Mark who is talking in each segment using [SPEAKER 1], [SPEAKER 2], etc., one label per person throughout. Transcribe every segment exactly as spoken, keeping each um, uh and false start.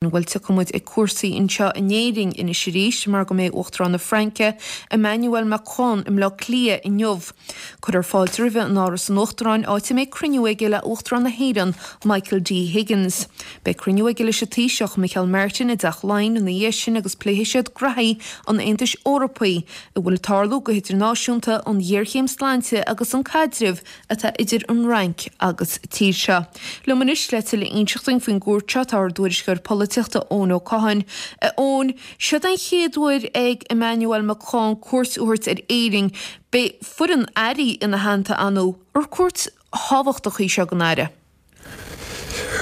[SPEAKER 1] Bhuel tiocfaidh muid ag cúrsaí anseo in Éirinn anois arís mar go mbeidh Uachtarán na Fraince, Emmanuel Macron i mBleá Cliath inniu. Cuirfear fáilte roimhe in Áras an Uachtaráin áit a mbeidh cruinniú aige le Uachtarán na hÉireann, Michael D. Higgins. Beidh cruinniú aige leis an Taoiseach, Micheál Martin i dTeach Laighean ina dhiaidh sin agus pléifidh siad graithí an Aontais Eorpaigh, a bhfuil ag tarlú go hidirnáisiúnta, an ghéarchéim sláinte agus an caidreamh atá idir an Fhrainc agus tír seo. Liom anois le tuilleadh a inseacht dúinn faoin gcuairt seo tá ár dtuairisceoir polaitíochta Eoin Ó Catháin. A Eoin, seod an chéad uair ag Emmanuel Macron cuairt a thabhairt ar Éirinn. Beidh foireann airí ina theannta ar ndóigh. Ar cuairt thábhachtach í seo don Aire?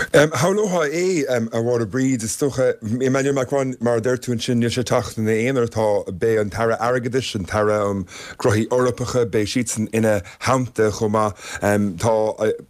[SPEAKER 2] Shamhlófá é, a Mháire Bríd, is dócha. Emmanuel Macron, mar a deir tú ansin, níl sé ag teacht ina aonar. Tá, beidh an tAire Airgeadais, an tAire um Gnóthaí Eorpacha, beidh siadsan ina theannta chomh maith. Tá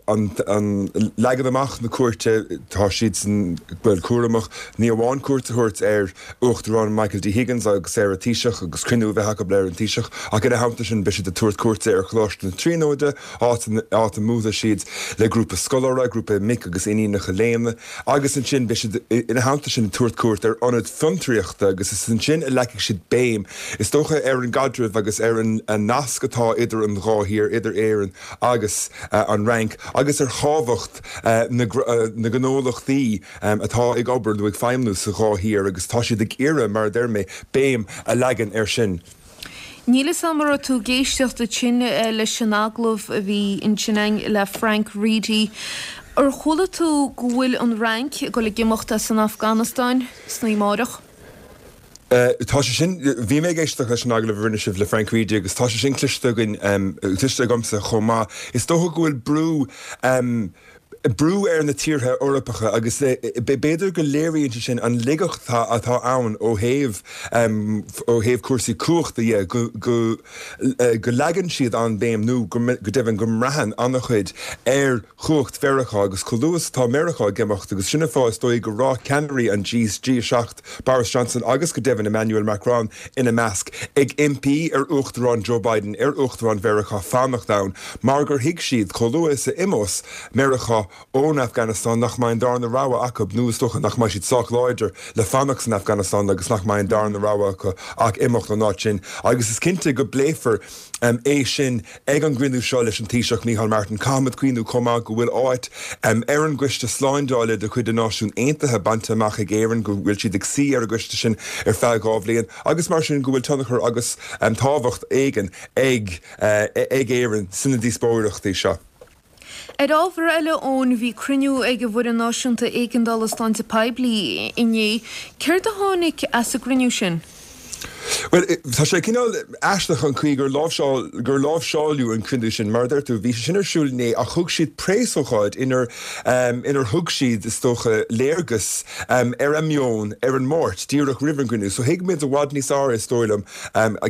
[SPEAKER 2] an leagan amach na cuairte, tá siadsan, bhuel, cúramach, ní amháin cuairt a thabhairt ar Uachtarán Michael D. Higgins agus ar an Taoiseach agus cruinniú a bheith acu leis an Taoiseach, ach ina theannta sin beidh siad ag tabhairt cuairte ar Choláiste na Tríonóide, áit a mbuailfidh siad le grúpa scoláire, grúpa mic agus iníonacha léinn, agus ansin beidh siad ina theannta sin ag tabhairt cuairt ar ionad fiontraíochta agus is ansin a leagfaidh siad béim, is dócha, ar an gcaidreamh agus ar an nasc atá idir an dhá thír, idir Éirinn agus an Fhrainc, agus ar thábhacht na ngnólachtaí atá ag obair nó ag feidhmiú sa dhá thír agus tá siad ag iarraidh, mar a deir mé, béim a leagan air sin.
[SPEAKER 1] Níl fhios a'm an raibh tú ag éisteacht ansin leis an agallamh a bhí ansin againn le Frank Reidy. Ar chuala tú go bhfuil an Fhrainc ag dul ag imeacht as an Afganastáin san oíche amárach?
[SPEAKER 2] Tá sé sin, bhí mé ag éisteacht leis an agallamh a rinne sibh le Frank Reidy agus tá sé sin cloiste againn, cloiste agamsa chomh maith. Is dócha go bhfuil brú, brú ar na tíortha Eorpacha agus b'fhéidir go léiríonn sé sin an laigeacht atá ann ó thaobh ó thaobh cúrsaí cumhachta dhe, go go go leagann siad an-bhéim nó go deimhin go mbraitheann an-chuid ar chumhacht Mheiriceá agus chomh luath is atá Meiriceá ag imeacht agus sin an fáth is dóigh go raibh ceannairí an G G a seacht, Boris Johnson agus go deimhin Emmanuel Macron ina measc, ag impí ar Uachtarán Joe Biden, ar Uachtarán Mheiriceá fanacht ann mar gur thuig siad chomh luath is a imeos Meiriceá ón Afganastáin nach mbeidh an darna rogha acu nó is dócha nach mbeidh siad sách láidir le fanacht san Afganastáin agus nach mbeidh an darna rogha acu ach imeacht ón áit sin agus is cinnte go bpléifear é sin ag an gcruinniú seo leis an Taoiseach Micheál Martin. Caithfimid cuimhniú chomh maith go bhfuil áit ar an gCoiste Slándála de chuid na Náisiún Aontaithe bainte amach ag Éirinn, go bhfuil siad ag suí ar an gcoiste sin ar feadh dhá bhliain agus mar sin go bhfuil tionchar agus tábhacht éigin ag ag Éirinn sna díospóireachtaí seo.
[SPEAKER 1] Ar ábhar eile, Eoin, bhí cruinniú ag an bhFoireann Náisiúnta Éigeandála Sláinte Poiblí inné. Céard a tháinig as an gcruinniú sin?
[SPEAKER 2] Bhuel, tá sé cineál aisteach an chaoi gur láimhseáil, gur láimhseáladh an cruinniú sin. Mar a deir tú, bhí sé sin ar siúl inné ach thug siad preasócáid inar, inar thug siad, is dócha, léargas ar a meon ar an Máirt, díreach roimh an gcruinniú. So thuig muid i bhfad níos fearr, is dóigh liom,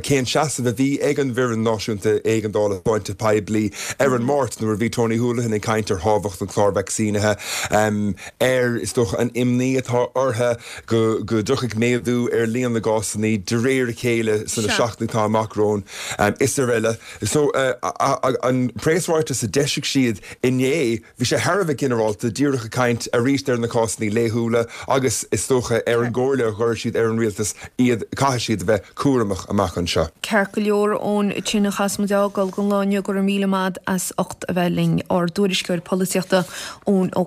[SPEAKER 2] cén seasamh a bhí ag an bhFoireann Náisiúnta Éigeandála Sláinte Poiblí ar an Máirt nuair a bhí Tony Holohan ag caint ar thábhacht an chláir vacsaínithe, ar, is dócha, an imní atá orthu go dtiocfaidh méadú ar líon na gcásanna de réir a chéile sna seachtainí atá amach romhainn is araile. So, an preasráiteas a d'eisigh siad inné, bhí sé thar a bheith ginearálta, díreach ag caint arís ar na cásanna laethúla agus is dócha ar an gcomhairle a chuir siad ar an rialtas iad, caithfidh siad a bheith cúramach amach anseo.
[SPEAKER 1] Ceart go leor, Eoin, sin a chaithfeas muid a fhágáil don lá inniu, go raibh míle maith as ucht a bheith linn, ár dtuairisceoir polaitíochta, Eoin Ó.